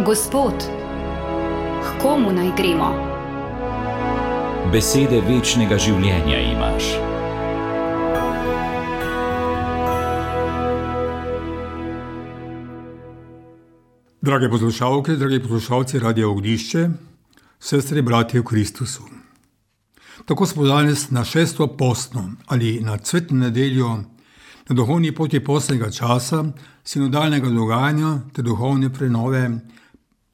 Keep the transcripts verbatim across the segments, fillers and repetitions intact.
Gospod, k komu naj gremo? Besede večnega življenja imaš. Drage poslušalke, dragi poslušalci Radia Ognjišče, sestre, bratje v Kristusu. Tako smo danes na šesto postno ali na cvetno nedeljo, na duhovni poti postnega časa, sinodalnega dogajanja ter duhovne prenove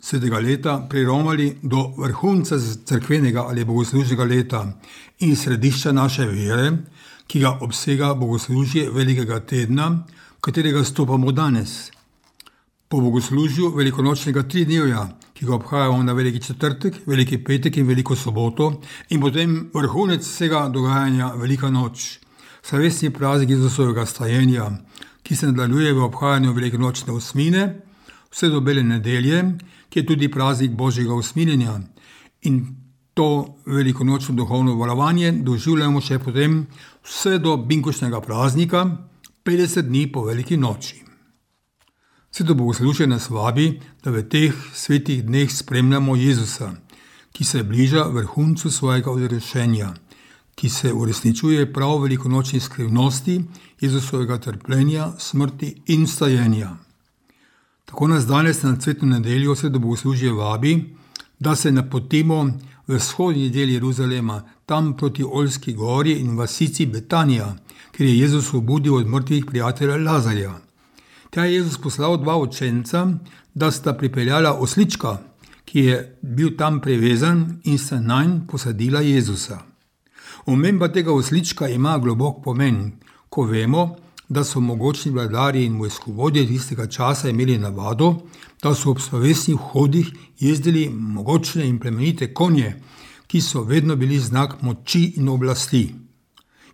svetega leta priromali do vrhunca cerkvenega ali bogoslužnega leta in središča naše vere, ki ga obsega bogoslužje velikega tedna, v katerega stopamo danes. Po bogoslužju velikonočnega tridnevja, ki ga obhajamo na veliki četrtek, veliki petek in veliko soboto, in potem vrhunec vsega dogajanja velika noč, slavesni praznik Jezusovega stajenja, ki se nadaljuje v obhajanju velikonočne osmine, vse do bele nedelje, ki je tudi praznik Božjega usmiljenja. In to velikonočno duhovno valovanje doživljamo še potem vse do binkošnega praznika, petdeset dni po veliki noči. Sveto bogoslužje nas vabi, da v teh svetih dneh spremljamo Jezusa, ki se bliža vrhuncu svojega odrešenja, ki se uresničuje prav v velikonočni skrivnosti Jezusovega trpljenja, smrti in vstajenja. Tako nas danes na cvetno nedeljo sveto bogoslužje vabi, da se napotimo v vzhodni del Jeruzalema, tam proti Oljski gori in vasici Betanija, kjer je Jezus obudil od mrtvih prijatelja Lazarja. Tja je Jezus poslal dva učenca, da sta pripeljala oslička, ki je bil tam privezan, in sta nanj posadila Jezusa. Omemba tega oslička ima globok pomen, ko vemo, da so mogočni vladarji in vojskovodje tistega časa imeli navado, da so ob slovesnih hodih jezdili mogočne in plemenite konje, ki so vedno bili znak moči in oblasti.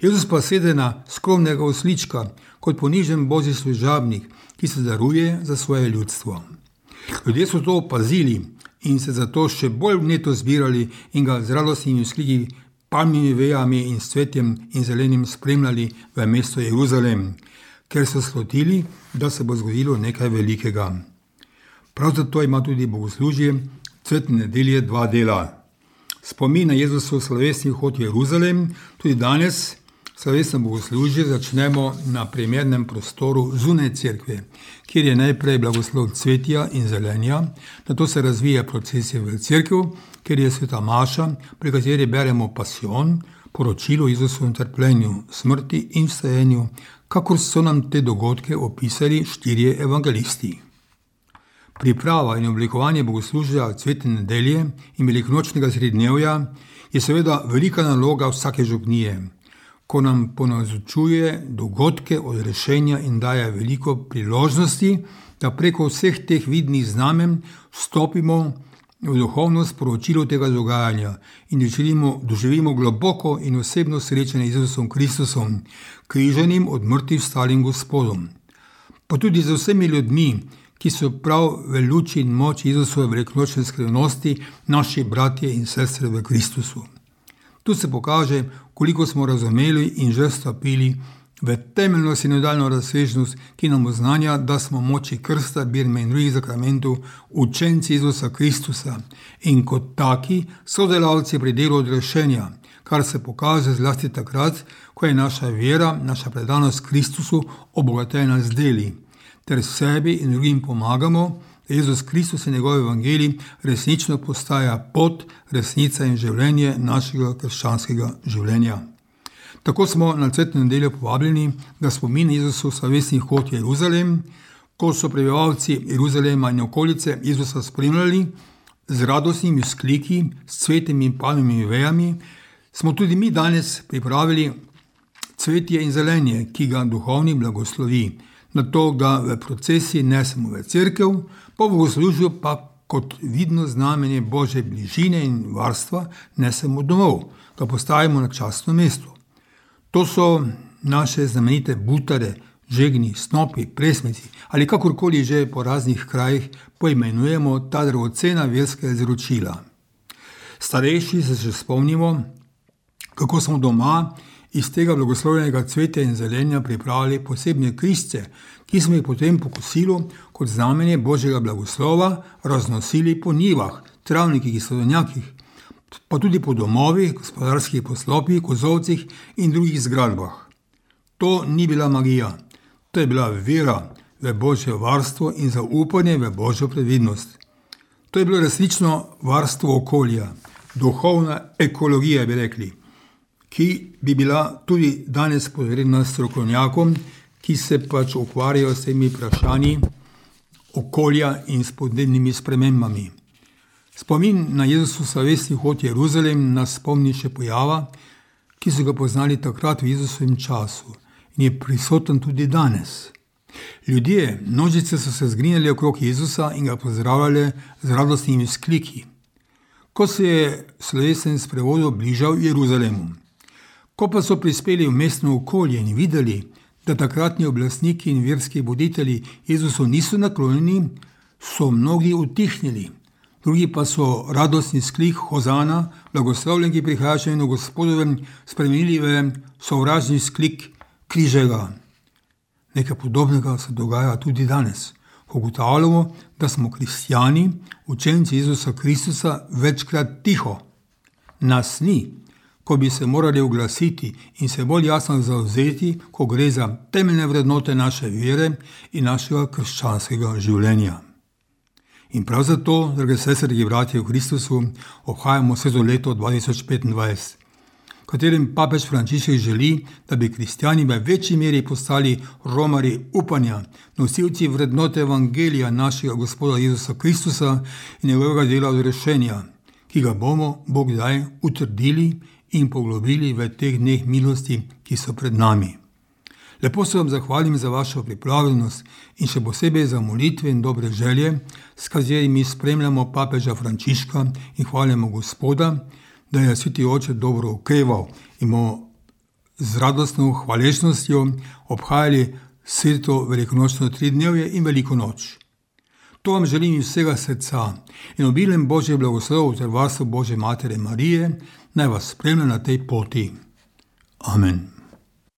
Jezus pa sede na skromnega oslička, kot ponižen božji služabnik, ki se daruje za svoje ljudstvo. Ljudje so to opazili in se zato še bolj vneto zbirali in ga z radostnimi vzkliki, palmimi vejami in s cvetjem in zelenim spremljali v mesto Jeruzalem, ker so slutili, da se bo zgodilo nekaj velikega. Prav zato ima tudi bogoslužje cvetne nedelje dva dela. Spomin na Jezusov slovesni vhod v Jeruzalem, tudi danes slovesno bogoslužje začnemo na primernem prostoru zunaj cerkve, kjer je najprej blagoslov cvetja in zelenja, nato se razvija procesija v cerkev, kjer je sveta maša, pri kateri beremo pasijon, poročilo o Jezusovem trpljenju, smrti in vstajenju, kakor so nam te dogodke opisali štirje evangelisti. Priprava in oblikovanje bogoslužja cvetne nedelje in velikonočnega srednjevja je seveda velika naloga vsake župnije, ko nam ponazočuje dogodke odrešenja in daje veliko priložnosti, da preko vseh teh vidnih znamen vstopimo v duhovno sporočilo tega dogajanja in doživimo, doživimo globoko in osebno srečanje z Jezusom Kristusom, križanim od mrtvih vstalim Gospodom. Pa tudi z vsemi ljudmi, ki so prav v luči in moči Jezusove velikonočne skrivnosti naši bratje in sestre v Kristusu. Tu se pokaže, koliko smo razumeli in že stopili v temeljno sinodalno razsežnost, ki nam oznanja, da smo moči krsta, birme in drugih zakramentov učenci Jezusa Kristusa in kot taki sodelavci pri delu odrešenja, kar se pokaže zlasti takrat, ko je naša vera, naša predanost Kristusu obogatena z deli, ter sebi in drugim pomagamo, da Jezus Kristus in njegov evangelij resnično postaja pot, resnica in življenje našega krščanskega življenja. Tako smo na cvetno nedeljo povabljeni, da spomin Jezusov slovesni vhod v Jeruzalem, ko so prebivalci Jeruzalema in okolice Jezusa spremljali z radostnimi vzkliki, s cvetjem in palmimi vejami, smo tudi mi danes pripravili cvetje in zelenje, ki ga duhovni blagoslovi. Nato ga v procesiji nesemo v cerkev, po bogoslužju pa kot vidno znamenje Božje bližine in varstva nesemo domov, ga postavimo na častno mesto. To so naše znamenite butare, žegni, snopi, presmeci ali kakorkoli že po raznih krajih poimenujemo ta dragocena verska izročila. Starejši se še spomnimo, kako smo doma iz tega blagoslovljenega cvetja in zelenja pripravili posebne križce, ki smo jih potem po kosilu kot znamenje Božjega blagoslova raznosili po njivah, travnikih, sadovnjakih, pa tudi po domovih, gospodarskih poslopjih, kozovcih in drugih zgradbah. To ni bila magija, to je bila vera v Božje varstvo in zaupanje v Božjo previdnost. To je bilo resnično varstvo okolja, duhovna ekologija, bi rekli, ki bi bila tudi danes potrebna strokovnjakom, ki se pač ukvarjajo s temi vprašanji okolja in s podnebnimi spremembami. Spomin na Jezusov slavesni hod v Jeruzalem nas spomni še pojava, ki so ga poznali takrat v Jezusovem času in je prisoten tudi danes. Ljudje, množice so se zgrinjali okrog Jezusa in ga pozdravljali z radostnimi vzkliki, ko se je slovesen sprevod bližal Jeruzalemu. Ko pa so prispeli v mestno okolje in videli, da takratni oblastniki in verski voditelji Jezusu niso naklonjeni, so mnogi utihnili. Drugi pa so radostni sklik Hozana, blagoslovljen, ki prihaja še eno Gospodovem, spremenili v sovražni sklik križega. Nekaj podobnega se dogaja tudi danes. Ugotavljamo, da smo kristjani, učenci Jezusa Kristusa, večkrat tiho. Nas ni, ko bi se morali oglasiti in se bolj jasno zavzeti, ko gre za temeljne vrednote naše vere in našega krščanskega življenja. In prav zato, drage sestre, dragi bratje v Kristusu, obhajamo sveto leto dva tisoč petindvajset, v katerem papež Frančišek želi, da bi kristjani v večji meri postali romarji upanja, nosilci vrednote evangelija našega Gospoda Jezusa Kristusa in njegovega dela odrešenja, ki ga bomo Bog daj utrdili in poglobili v teh dneh milosti, ki so pred nami. Lepo se vam zahvalim za vašo pripravljenost in še posebej za molitve in dobre želje, s katerimi spremljamo papeža Frančiška in hvalimo Gospoda, da je Sveti Oče dobro okreval in bomo z radostno hvaležnostjo obhajali sveto velikonočno tridnevje in veliko noč. To vam želim iz vsega srca in obilen Božje blagoslov ter varstvo Božje Matere Marije naj vas spremlja na tej poti. Amen.